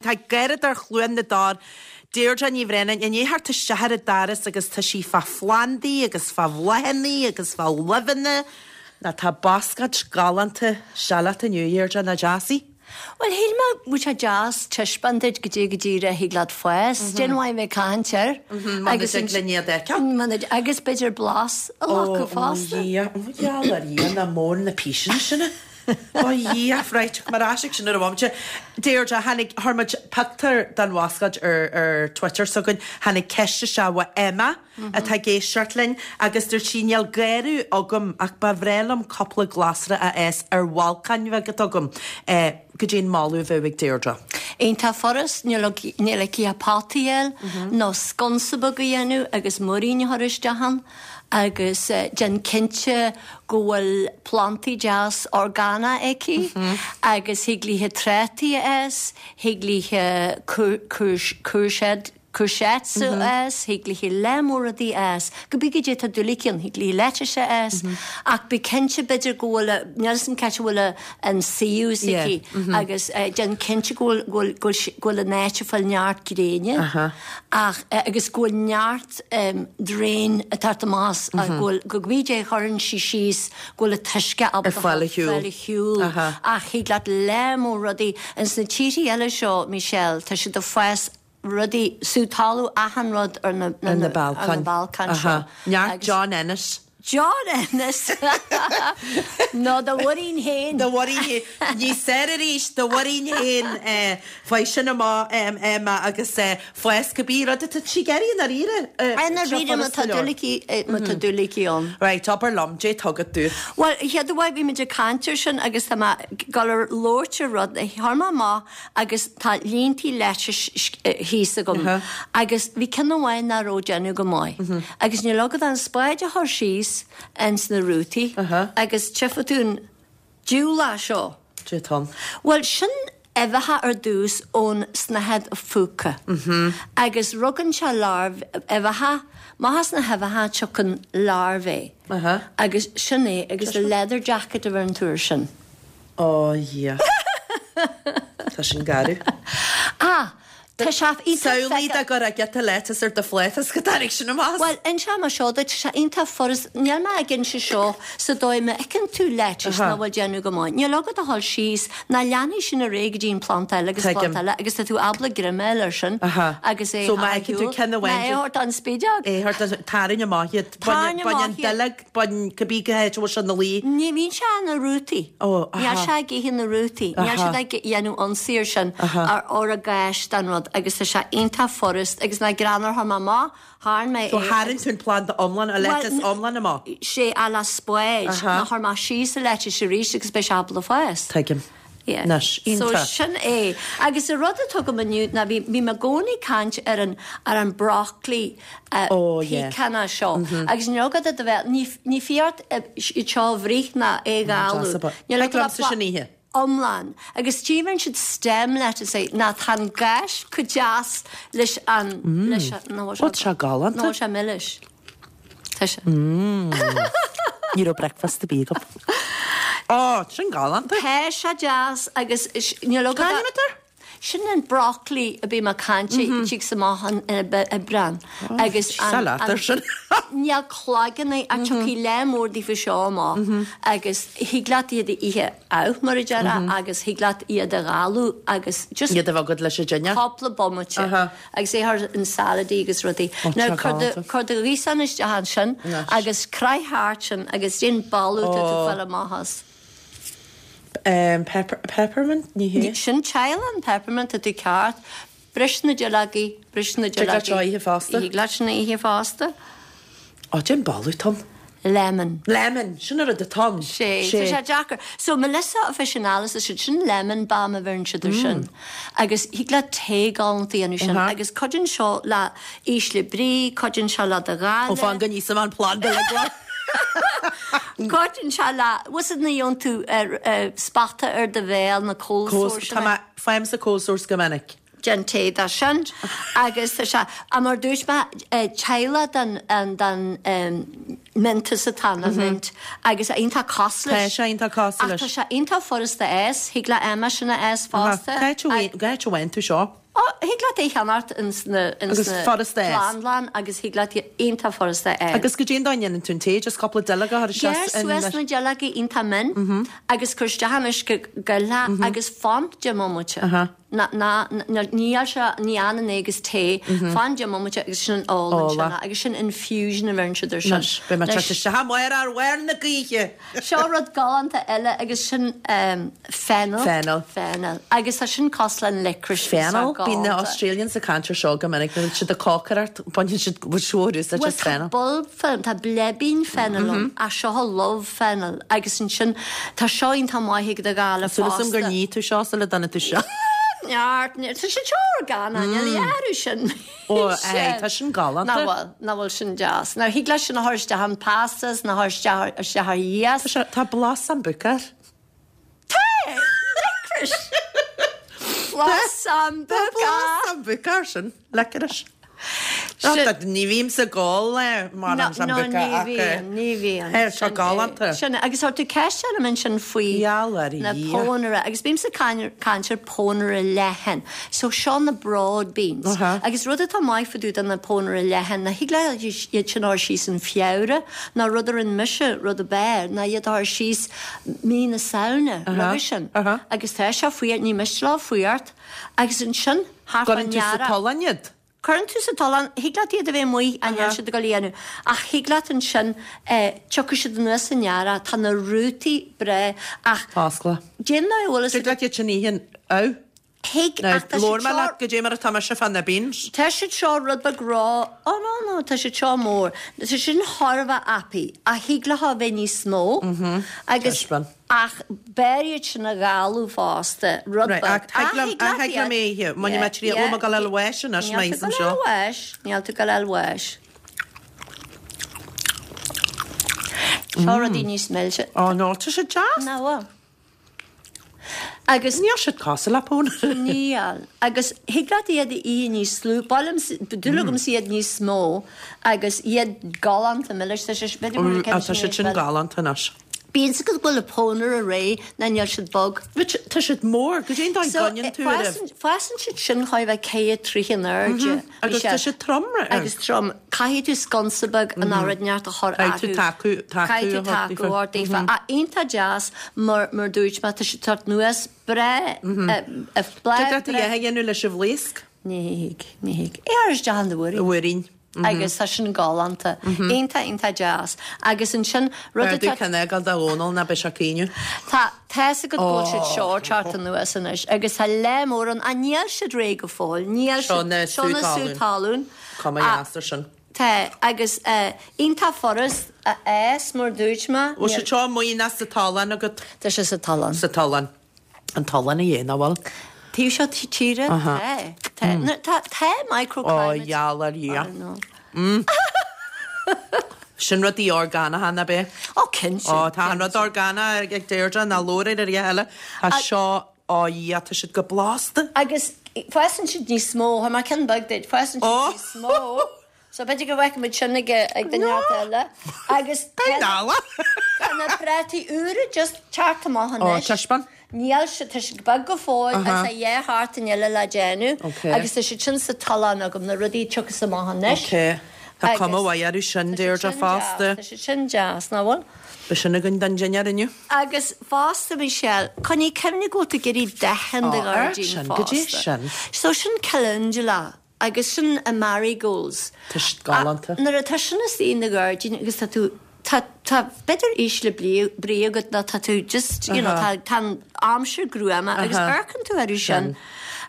Tá Garradóir Chluain na dTor, Deirdre Ní Bhraonáin, i ndiaidh theacht isteach ar an doras agus tá sí fá phlandaí agus fá bhláthanna agus fá luibheanna. Ná tá bascáid galánta seileach inniu, a Dheirdre, nach deas í? Bhuel, shíl mé go bhfuil sé deas taispeáint duit goidé go díreach a thig leat fás. Déan mhaith bheith ag caint air. Muna dtig linn iad a fheiceáil. Muna agus b'fhéidir blas a ghlacadh fosta. Ó, ó, Dhia, ó, gheall ar Dhia, nach mór na píseanna sin. Ó Dhia, right, tiocfaidh mé ar ais ag sin ar an bhomaite. Deirdre, tháinig, chuir muid pictiúr den bhascáid ar, ar Twitter s'againn, tháinig ceist isteach ó Emma atá ag éisteacht linn agus dúirt sí níl garraí agam ach ba bhreá liom cúpla glasra a fhás ar bhalcáin bheag atá agam. Eh, goidé an moladh a bheadh ag Deirdre. Iontach furast, níl níl aici ach pota a fháil nó sconsa beag a dhéanamh agus muirín a chur isteach ann. agus déan cinnte go bhfuil plantaí deas orgánach aici agus thig léithe trátaí a fhás, thig léithe courgettes a fhás, thig léithe lear mór rudaí a fhás, cibé goidé tá dúil aici ann, thig léithe lettuce a fhás ach bí cinnte b'fhéidir go bhfuil, níl 'fhios a'm cá háit a bhfuil an suíomh s'aici agus déan cinnte go bhfuil, go bhfuil an áit ag fáil neart gréine ach agus go bhfuil neart drain ag teacht amach as go bhfuil go cibé goidé a chuireann sí síos go bhfuil an t-uisce ábalta Ar fáil a shiúl. fáil a shiúl ach thig leat lear mór rudaí ins na tíorthaí eile seo Michelle tá siad ag fás rudaí sú talamh achan rud ar na Ar na balcáin. ar na balcáin seo Neart John Ennis. John Ennis! Nó do mhuirín féin. Do mhuirín féin. Níos fearr arís, do mhuirín féin. Faigh sin amach, Emma, agus fás cibé rud atá sí ag iarraidh i ndáiríre. I ndáiríre, má tá dúil aici, má tá dúil aici ann. Right, abair liom, goidé atá agat dúinn. Bhuel, chéad uair bhí muid ag caint ar sin agus tá mé ag dul ar labhairt ar rud a chuir mé amach agus tá líontaí lettuce thíos agam agus bhí ceann amháin nach raibh ag déanamh go maith agus níl agat ach an spáid a chur síos ins na rútaí agus tchífidh tú an diabhlach seo. Cad é atá ann. Bhuel sin uibheacha ar dtús ón snáthaid phúca agus rugann sé larbh uibheacha, amach as na huibheacha tiocfaidh larvae agus sin é agus leather jacket a bheir an tuar sin. Ó Dhia. Tá sin garbh. Ah! Tá sé iontach Samhlaigh dá gcuirfeá giota lettuce ar do phláta is go dtáinig sin amach. Bhuel, inseoidh mé seo duit, tá sé iontach furast, níl mé ag inse seo sa dóigh má fheiceann tú lettuce nach bhfuil déanamh go maith, níl agat ach a dhul síos, ná leanfaidh sin ar aghaidh go dtí an planda eile agus planda eile agus tá tú ábalta greim a fháil air sin agus é So má fheiceann tú ceann amháin ná é a thabhairt don spideog. É a thabhairt don, tarraing amach iad. Tarraing Bain an amach iad. duilleog. Bain cibé cá háit a bhfuil sé ina luí. Ní bhíonn sé ina rútaí. Ó, aha. Níl sé ag ithe na rútaí. Níl siad ag dhéanamh ionsaí ar sin, Aha. ar ar an gcáis den rud agus tá sé iontach furast agus nach greannmhar chuir mé amach, tharraing mé So é tharraing tú an planda iomlán, an lettuce iomlán amach? Sé a le spáid, Aha. ná chuir mé síos an lettuce arís agus beidh sé ábalta fás. Tuigim. Yeah. Anois, So iontach. sin é. Agus an rud atá agam inniu ná bhí, bhí mé i gcónaí ag caint ar an, ar an broccoli eh, Oh, yeah. picanna seo. Agus níl agat a bheith, ní, ní fiú ort iad seo a bhruith ná é a dhalladh. Deas ab ea. Níl Thig agat liomsa sin a ithe. iomlán. Agus tíomhaíonn siad stem lettuce é, ná tá an gás chomh deas leis an, leis an, nó Ó, tá sé galánta. Nó sé milis. Tá sé. Ní raibh breakfast ar bith agam. Ó, sin galánta. Tá sé deas agus níl agat Cá ainm atá air? Sin an broccoli a bím ag caint air, tig amach in Aibreán. Agus Tá leat air sin. Níl cloigeann ach tiocfaidh lear mór daofa seo amach agus thig leat iad a ithe amh mar a déarfá agus thig leat iad a dhalladh agus just Iad a bheith agat leis an dinnéar. cúpla bomaite agus é thar in saladaí agus rudaí. Now cuir do cuir do ghaosán isteach ansin agus croith thart sin agus déan boladh tá tú fáil amach as. Pepper peppermint ní hea? Sin teaghlán peppermint tá tú ceart. Bris na duilleogaí, bris na Tig leat duilleogaí. seo a ithe fosta? Thig leat sin a ithe fosta. Ó, déan boladh atá ann. Lemon. Lemon, sin an rud atá ann. Sé, tá sé deacair. So, Melissa officinalis is siad sin lemon balm a bheireann siad ar sin. Agus thig leat tae galánta a dhéanamh sin. Agus cuidíonn seo le ísle brí, cuidíonn sé le do Ó, ghála. fan go n-íosfaidh mé an planda le glan. Cuidíonn sé le, bhfuil fhios agat nuair a gheobhann tú spota ar do bhéal, na cold sores. Tá mé, faighimse cold sores go minic. Déan tae de sin agus tá sé, mar dúirt mé, teaghlach den, den. Mentos atá ann, mint, agus iontach cosúil leis. Tá sé iontach cosúil leis. Ach tá sé iontach furasta a fhás, thig le Emma sin a fhás fosta. Cá háit a bhfaigheann tú seo? Ó, thig leat é a cheannacht ins na, ins na plandlann agus thig leat iontach furasta a fháil. Agus goidé an dóigh a ndéanann tú an tae, just cúpla duilleog a chur isteach in. Gearr suas na duilleoga iontach min agus cuir isteach in uisce galtha agus fan 10 mbomaite. Ná, ná, níl sé, ní fhanann é agus tae, fan 10 mbomaite agus sin an ól ansin é, agus sin infusion a bheireann siad air sin. Anois, beidh mé ag teacht isteach amárach ar bharr na gaoithe! Seo rud galánta eile agus sin fennel. Fennel. Fennel. Agus tá sin cosúil le an licorice. Fennel? Bíonn na Australians ag caint ar seo go minic, nuair atá siad ag cócaireacht, baineann siad úsáid as fennel. Bhuel tá bulb fennel, tá bleibín fennel ann, ach seo lubh fennel agus ansin tá seo iontach maith ag do ghála fosta. Súil agam gur nigh tú seo sula dtáinig tú seo. Neart, neart, tá sé seo orgánach, níl a fhios sin. Ó, aye, tá sin galánta. Nach bhfuil, nach bhfuil sin deas. Now thig leat sin a chur isteach in pastas, nó a chur isteach, isteach ar iasc. Tá sé, tá blas sambuca air. Tá! Licorice! Blas sambuca! Tá blas sambuca air sin, licorice. Ní bhímse ag ól mórán sambuca ach. No, ní bhíonn, ní bhíonn. Tá seo galánta. Sin é, agus tá tú ceist orm ansin faoi na pónaire, agus bímse ag caint ar pónaire leathan. So seo na broad beans. Agus rud atá maith fá dtaobh de na pónaire leathan, ná thig leat iad sin a chur síos in Feabhra, nó rud a rinne mise, rud ab fhearr, ná iad a chur síos mí na Samhna, roimhe sin. Agus tá sé fuar, ní miste leo fuacht, agus ansin, thart fán Cuireann tú sa tollán iad? Cuireann tú sa tollán, thig leat iad a bheith amuigh ach níl siad ag dul a dhéanamh, ach thig leat ansin, tiocfaidh siad anuas san earrach, tá na rútaí breá ach. Foscladh. Déan ná bhfuil fhios Thig leat iad sin a ithe amh. Thig ach tá siad seo. Labhair mé leat goidé mar atá mise fá na beans. Tá siad seo rud beag ró, oh no no, tá siad seo mór. Tá siad sin thar a bheith apaí ach thig leo a bheith níos mó agus. Taispeáin. Ach b'fhearr iad sin a dhalladh fosta, rud beag. Ach thig liom, ach thig liom é a ithe. Mbainfidh mé triail, bhfuil mé ag dul a fháil bháis anois, má íosaim seo. Níl tú ag dul a fháil bháis, níl tú ag dul a fháil bháis. Seo rudaí níos milse. Ó no, tá siad deas. Nach bhfuil? Agus. Níl siad cosúil le pónaire. Níl. Agus thig leat iad a ithe níos lú. Ba mhaith liom, dúil agamsa iad níos mó agus iad galánta milis. Tá sé, b'fhéidir go bhfuil Tá siad sin galánta anois. Bíonn 's agat go bhfuil an pónaire réidh ná níl siad bog. But tá siad mór, goidé an dóigh gcoinníonn tú orthu? So fásann siad sin chóir a bheith ceithre troigh in airde. Agus tá siad trom. Agus trom. Caithfidh tú sconsa beag nó rud inteacht a chur Caithfidh tú tacú Caithfidh tú tacú a thabhairt daofa. Ach iontach deas mar mar dúirt mé tá siad ag teacht anuas breá Tig leat a dhath a dhéanamh leis an bhlaosc? Ní thig, ní thig. É a chur isteach in do mhúirín. Mhúirín. Agus tá sin galánta. Iontach, iontach deas. Agus ansin, rud atá. B'fhearr ceann a fhágáil do Dhónall ná beidh sé ag caoineadh. Tá, tá's agat go bhfuil siad seo ag teacht anuas anois agus tá lear mór ann, ach níl siad réidh go fóill. Níl siad. Seo na sú talún. Seo na sú talún. Cuma dheas ar sin. Tá, agus iontach furast a fhás, mar dúirt mé. Bhfuil siad seo amuigh nó sa tollán agat? Tá sé sa tollán. Sa tollán. An tollán a dhéanamh, nach bhfuil? Taobh seo tíre? Tá. Tá. Tá, tá microclimate. Ó, gheall ar Dhia. Sin rudaí orgánacha, nach b'é? Ó, cinnte. Ó, tá an rud orgánach ag Deirdre, ná labhair ar a dhath eile. Tá seo, ó Dhia, tá siad go blasta. Agus fásann siad níos mó, tá mé ceann beag duit, fásann siad níos mó. So b'fhéidir go bhfeicfidh muid sin ag ag duine eile. Agus tá na prátaí úra just teacht amach anois. Ó, taispeáin. Níl siad, tá siad beag go fóill agus tá dhá sheachtain eile le déanamh. Agus tá siad sin sa tollán agam, na rudaí a tiocfas amach anois. Ok. Tá cuma mhaith orthu sin, Deirdre, fosta. Tá siad sin deas, nach bhfuil? Beidh sin againn don dinnéar inniu. Agus fosta, Michelle, coinnigh cuimhne go bhfuil tú ag iarraidh dath in do ghairdín fosta. Goidé sin? So sin calendula. Agus sin a marigolds. Tá siad galánta. Nuair atá sin istigh in do ghairdín agus tá tú, tá, tá b'fhéidir ísle brí agat nó tá tú just, you know, tá, tá an aimsir gruama agus amharcann tú orthu sin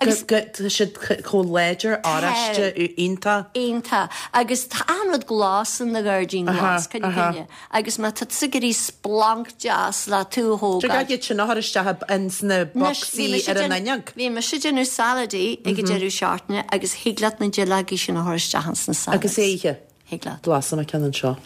agus. Tá siad chomh láidir, oráiste, iontach. Iontach. Agus tá achan rud glas in do ghairdín glas, coinnigh cuimhne. Agus má tá tusa ag iarraidh splanc deas le tú a thógáil. Tig leat iad sin a chur isteach ins na bocsaí ar an fhuinneog. Bhí mise ag déanamh saladaí ag an deireadh seachtaine agus thig leat na duilleogaí sin a chur isteach ins na salads. Agus é a ithe. Thig leat. Blasfaidh mé ceann anseo.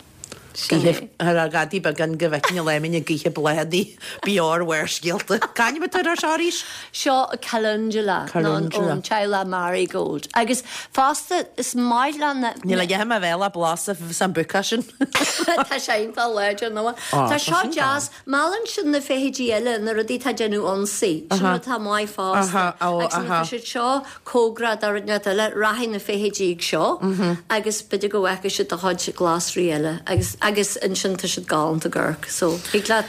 Sin é. Ar a ghadaí beagán go bhfeicfinn a léiminn ag ithe bláthanna b'fhearr Bharrscéalta. C'ainm atá air seo arís? Seo Calendula nó ón teaghlach Marigold. Agus fosta is maith le na. Níl a dhath i mo bhéal ach blas an bouquet sin. Tá sé iontach láidir nó. Tá seo deas. Meallann sin na feithidí eile, na rudaí atá ag déanamh ionsaí. Sin rud atá maith fosta. Agus nuair atá siad seo cóngarach do rud inteacht eile, rachaidh na feithidí ag seo agus b'fhéidir go bhfeicfidh siad do chuid glasraí eile agus agus ansin tá siad galánta ag amharc. So, thig leat.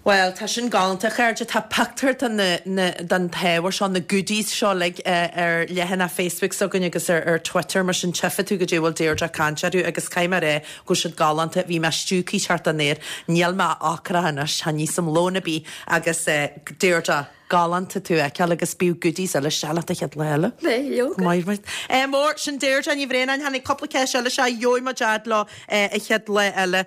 Bhuel, tá sin galánta, a chairde. Tá pictiúr de na, na, den t-ábhar seo, na goodies seo uilig ar leathanach Facebook s'againn agus ar, ar Twitter, mar sin tchífidh tú goidé a bhfuil Deirdre ag caint orthu agus caithfidh mé a rá go bhfuil siad galánta. Bhí mé stiúgtha thart an aer. Níl mé ocrach anois, chan íosam lón ar bith agus Deirdre, galánta tú a fheiceáil agus bíodh goodies eile isteach leat an chéad lá eile. Beidh, leoga. Maith, maith. Mór, sin Deirdre Ní Bhraonáin. Tháinig cúpla ceist eile isteach, gheobhaidh muid fhad leo an chéad lá eile.